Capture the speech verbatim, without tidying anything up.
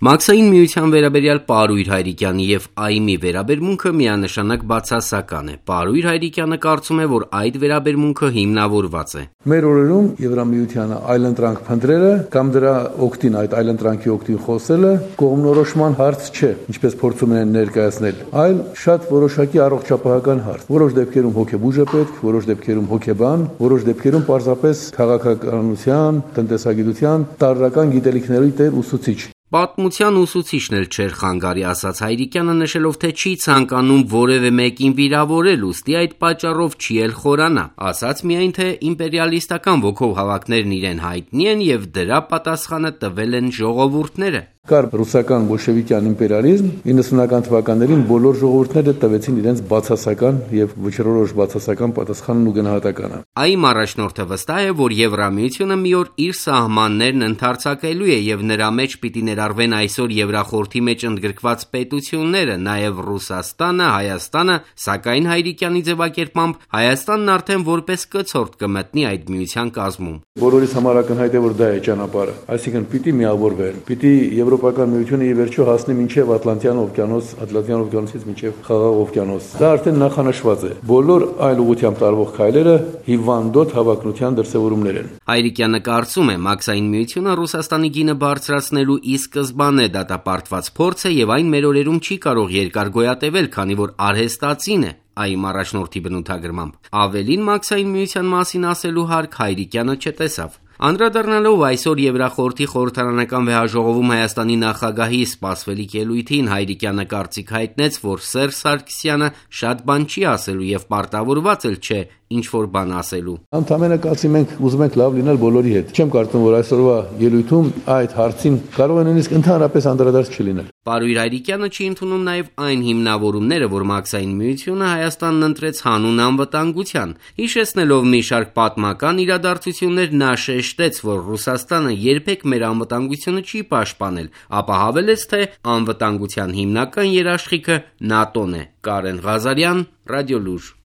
Մաքսային միության վերաբերյալ Պարույր Հայրիկյանի և ԱԻՄ-ի վերաբերմունքը միանշանակ բացասական է։ Պարույր Հայրիկյանը կարծում է, որ այդ վերաբերմունքը հիմնավորված է։ Մեր օրերում Եվրամիությանը այլընտրանք փնտրելը կամ դրա օգտին, այդ այլընտրանքի օգտին խոսելը կողմնորոշման հարց չէ, ինչպես փորձում են ներկայացնել, այլ շատ որոշակի առողջապահական հարց։ Որոշ դեպքերում հոգեբուժ է պետք, որոշ դեպքերում հոգեբան, որոշ դեպքերում պարզապես քաղաքականության, տնտեսագիտության տարրական գիտելիքների տեր ուսուցիչ։ Պատմության ուսուցիչն էլ չէր խանգարի, ասաց Հայրիկյանը, նշելով, թե չի ցանկանում որևէ մեկին վիրավորել, ուստի այդ պատճառով չի էլ խորանա։ Ասաց միայն, թե իմպերիալիստական ոգով հավաքներն իրեն հայտնի են և դրա պատասխանը տվել են ժողովուրդները։ Կար ռուսական բոլշևիկյան իմպերիալիզմ, իննսունական թվականներին բոլոր ժողովուրդները տվեցին իրենց բացասական եւ վճռորոշ բացասական պատասխանն ու գնահատականը։ ԱԻՄ առաջնորդը վստահ է, որ Եվրամիությունը մի օր իր սահմաններն ընդարձակելու է եւ նրա մեջ պիտի ներառվեն այսօր Եվրախորհրդի մեջ ընդգրկված պետությունները, նաեւ Ռուսաստանը, Հայաստանը, սակայն Հայրիկյանի ձևակերպմամբ Հայաստանն արդեն որպես կցորդ կմտնի այդ միության կազմում։ Բոլորիս համար ակնհայտ է, որ դա է ճանապարհը, այսինքն պիտի միավորվեն, պիտի Եվրոպական միությունը ի վերջո հասնի մինչև Ատլանտյան օվկիանոս, Ատլանտյան օվկիանոսից մինչև Խաղաղ օվկիանոս։ Դա արդեն նախանշված է։ Բոլոր այլ ուղղությամբ տարվող քայլերը հիվանդոտ հավակնության դրսևորումներ են։ Հայրիկյանը կարծում է, Մաքսային միությունը Ռուսաստանի գինը բարձրացնելու ի սկզբանե դատապարտված փորձ է եւ այն մեր օրերում չի կարող երկար գոյատևել, քանի որ արհեստացին է։ ԱԻՄ առաջնորդի բնութագրմամբ։ Ավելին Մաքսային միության մասին ասելու հարկ Հայրիկյանը չտեսավ։ Անդրադառնալով այսօր Եվրախորհրդի խորհրդարանական վեհաժողովում Հայաստանի նախագահի սպասվելիք ելույթին, Հայրիկյանը կարծիք հայտնեց, որ Սերժ Սարգսյանը շատ բան չի ասելու եւ պարտավորված էլ չէ ինչ-որ բան ասելու։ Ընդամենը կացի մենք ուզում ենք լավ լինել բոլորի հետ։ Չեմ կարծում, որ այսօրվա ելույթում այդ հարցին կարող է նույնիսկ ընդհանրապես անդրադարձ չլինել։ Պարույր Հայրիկյանը չի ընդունում նաև այն հիմնավորումները, որ Մաքսային միությունը Հայաստանն ընտրեց հանուն անվտանգության։ Հիշեցնելով մի շարք պատմական իրադարձություններ, նա շեշտեց, որ Ռուսաստանը երբեք մեր անվտանգությունը չի պաշտպանել, ապա հավելեց, թե անվտանգության հիմնական երաշխիքը ՆԱՏՕ-ն է։ Կարեն Ղազարյան, Ռադիոլուր։